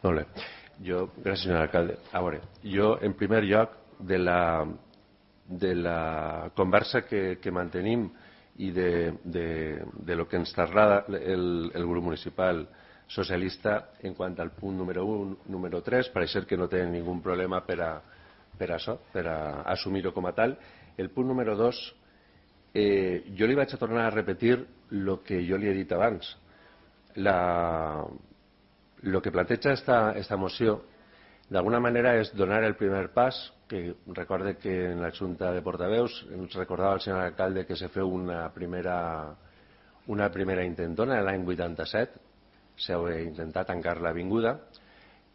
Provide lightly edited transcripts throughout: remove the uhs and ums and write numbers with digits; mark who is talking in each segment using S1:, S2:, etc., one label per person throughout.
S1: Molt bé. Gràcies, senyor alcalde. A veure, jo, en primer lloc, de la conversa que mantenim i de lo que ens trasllada el grup municipal socialista en quant al punt número 1, número 3, pareix que no tenen ningú problema per a assumir-ho com a tal. El punt número 2, jo li vaig a tornar a repetir el que jo li he dit abans. El que planteja esta moció d'alguna manera és donar el primer pas, que recorde que en la Junta de Portaveus ens recordava el senyor alcalde que se feu una primera intentona l'any 87, s'ha intentat tancar l'avinguda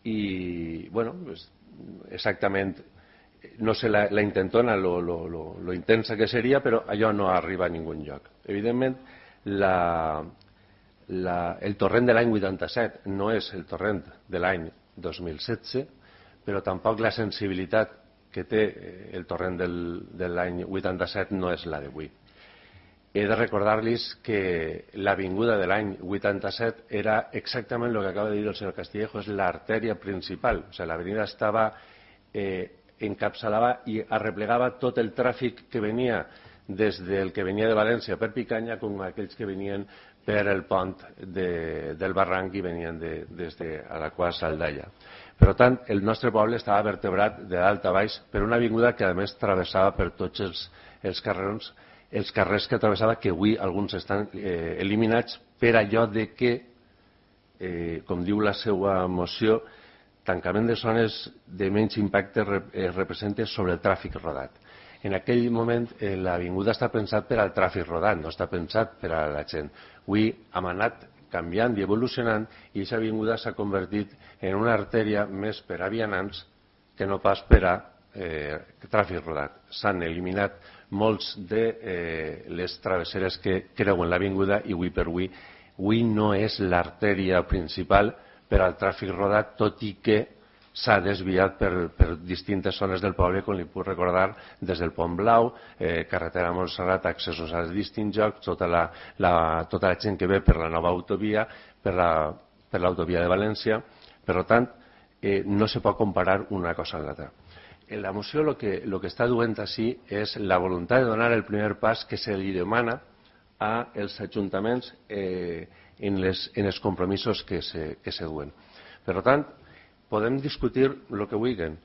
S1: i, bueno, exactament, no sé la intentona, lo intensa que seria, però allò no arriba a ningú lloc. Evidentment, el torrent de l'any 87 no és el torrent de l'any 2016, però tampoc la sensibilitat que té el torrent de l'any 87 no és la d'avui. He de recordar-los que l'avinguda de l'any 87 era exactament el que acaba de dir el senyor Castillejo, és l'artèria principal. O sigui, l'avenida estava encapçalava i arreplegava tot el tràfic que venia des del que venia de València per Picanya com aquells que venien per el pont del barranc i venien des de Alaquàs a Aldaia. Per tant, el nostre poble estava vertebrat de dalt a baix per una avinguda que a més travessava per tots els carrers que travessava, que avui alguns estan eliminats per allò de que, com diu la seva moció, tancament de zones de menys impacte representa sobre el tràfic rodat. En aquell moment l'avinguda està pensat per al tràfic rodant, no està pensat per a la gent. Avui hem anat canviant i evolucionant i aquesta avinguda s'ha convertit en una artèria més per a vianants que no pas per a tràfic rodat. S'han eliminat molts de les travesseres que creuen l'avinguda i avui per avui no és l'artèria principal per al tràfic rodat, tot i que s'ha desviat per distintes zones del poble, com li puc recordar, des del Pont Blau, carretera Montserrat, accessos als distints llocs, tota la gent que ve per la nova autovia, per l'autovia de València. Per tant, no se pot comparar una cosa amb l'altra. En la moció el que està duent així és la voluntat de donar el primer pas que se li demana als ajuntaments en els compromisos que se duen. Per tant, podem discutir el que vulguin.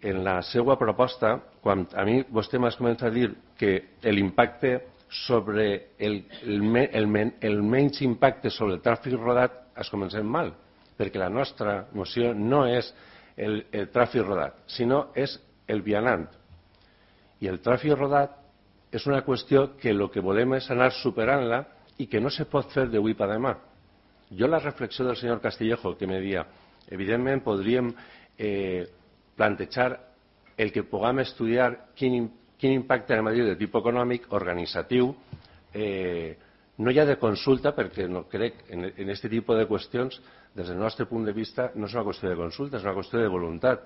S1: En la seva proposta, quan a mi vostè m'ha començat a dir que l'impacte sobre el menys impacte sobre el tràfic rodat es comencem mal, perquè la nostra moció no és el tràfic rodat, sinó és el vianant. I el tràfic rodat és una qüestió que el que volem és anar superant-la i que no se pot fer d'avui per demà. Jo la reflexió del senyor Castillejo que me deia, evidentment podríem plantejar el que puguem estudiar quin impacte en Madrid de tipus econòmic, organitzatiu, no hi ha de consulta perquè no crec en aquest tipus de qüestions, des del nostre punt de vista, no és una qüestió de consulta, és una qüestió de voluntat.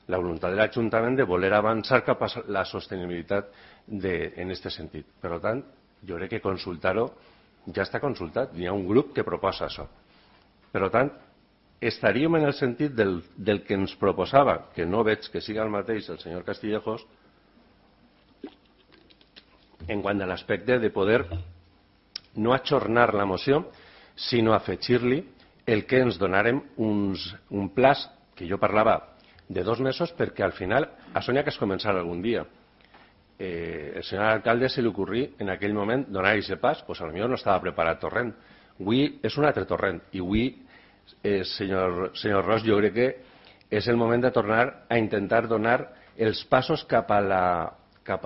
S1: La voluntat de l'Ajuntament de voler avançar cap a la sostenibilitat en aquest sentit. Per tant, jo crec que consultar-ho ja està consultat. Hi ha un grup que proposa això. Per tant, estaríem en el sentit del que ens proposava, que no veig que siga el mateix el senyor Castillejos, en quant a l'aspecte de poder no ajornar la moció, sinó afegir-li el que ens donarem un plaç, que jo parlava de 2 mesos, perquè al final això n'hi ha que es començar algun dia. El senyor alcalde se li ocorrí en aquell moment donar aquest pas, doncs potser no estava preparat torrent. Avui és un altre torrent i avui, senyor Ros, jo crec que és el moment de tornar a intentar donar els passos cap a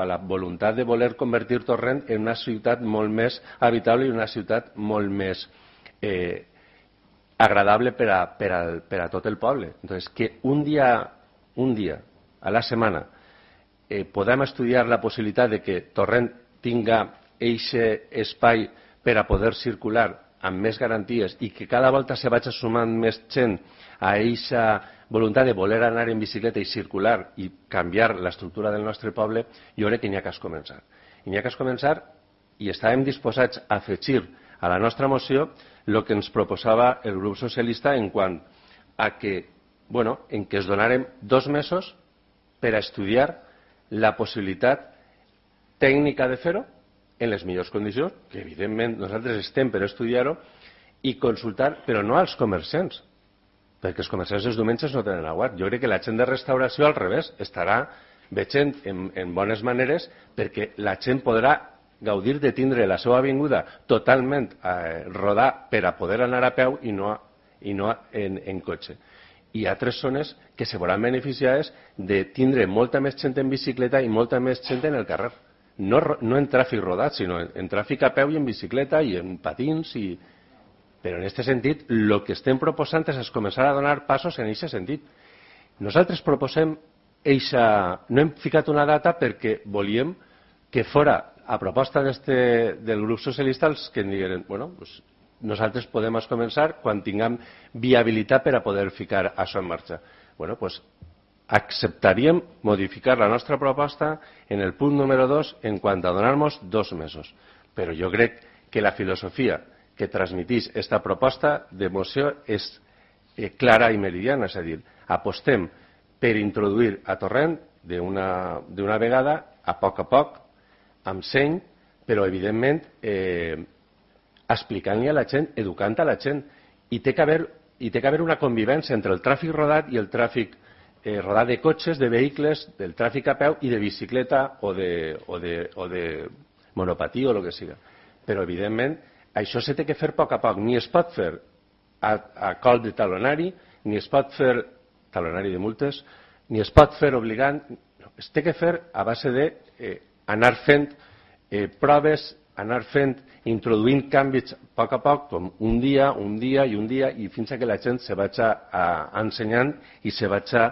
S1: la voluntat de voler convertir Torrent en una ciutat molt més habitable i una ciutat molt més agradable per a tot el poble. Entonces, que un dia a la setmana podem estudiar la possibilitat de que Torrent tinga aquest espai per a poder circular amb més garanties i que cada volta se vagi sumant més gent a aquesta voluntat de voler anar en bicicleta i circular i canviar l'estructura del nostre poble, jo crec que n'hi ha que començar. I n'hi ha que començar i estàvem disposats a afegir a la nostra moció el que ens proposava el grup socialista en quant a que en què es donarem 2 mesos per a estudiar la possibilitat tècnica de fer-ho en les millors condicions, que evidentment nosaltres estem per estudiar-ho, i consultar, però no als comerciants, perquè els comerciants els diumenges no tenen aguat. Jo crec que la gent de restauració al revés estarà veient en bones maneres, perquè la gent podrà gaudir de tindre la seva avinguda totalment rodar per a poder anar a peu i no en cotxe. Hi ha altres zones que se veuran beneficiades de tindre molta més gent en bicicleta i molta més gent en el carrer. No en tràfic rodat, sinó en tràfic a peu i en bicicleta i en patins. Però en aquest sentit, el que estem proposant és començar a donar passos en aquest sentit. Nosaltres proposem no hem ficat una data perquè volíem que fora a proposta del grup socialista els que digueren, nosaltres podem començar quan tinguem viabilitat per a poder ficar això en marxa. Acceptaríem modificar la nostra proposta en el punt número 2 en quant a donar-nos 2 mesos. Però jo crec que la filosofia que transmetís aquesta proposta de moció és clara i meridiana, és a dir, apostem per introduir a Torrent d'una vegada, a poc, amb seny, però evidentment explicant-li a la gent, educant a la gent. I té que haver una convivència entre el tràfic rodat i el tràfic rodat de cotxes, de vehicles, del tràfic a peu i de bicicleta o de monopatí o el que siga. Però evidentment això s'ha de fer a poc. Ni es pot fer a col de talonari, ni es pot fer talonari de multes, ni es pot fer obligant. Es té que fer a base d'anar fent proves, anar introduint canvis a poc, com un dia, i fins que la gent se vagi ensenyant i se vagi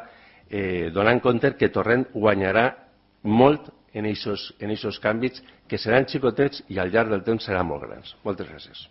S1: donant compte que Torrent guanyarà molt en aquests canvis, que seran xicotets i al llarg del temps seran molt grans. Moltes gràcies.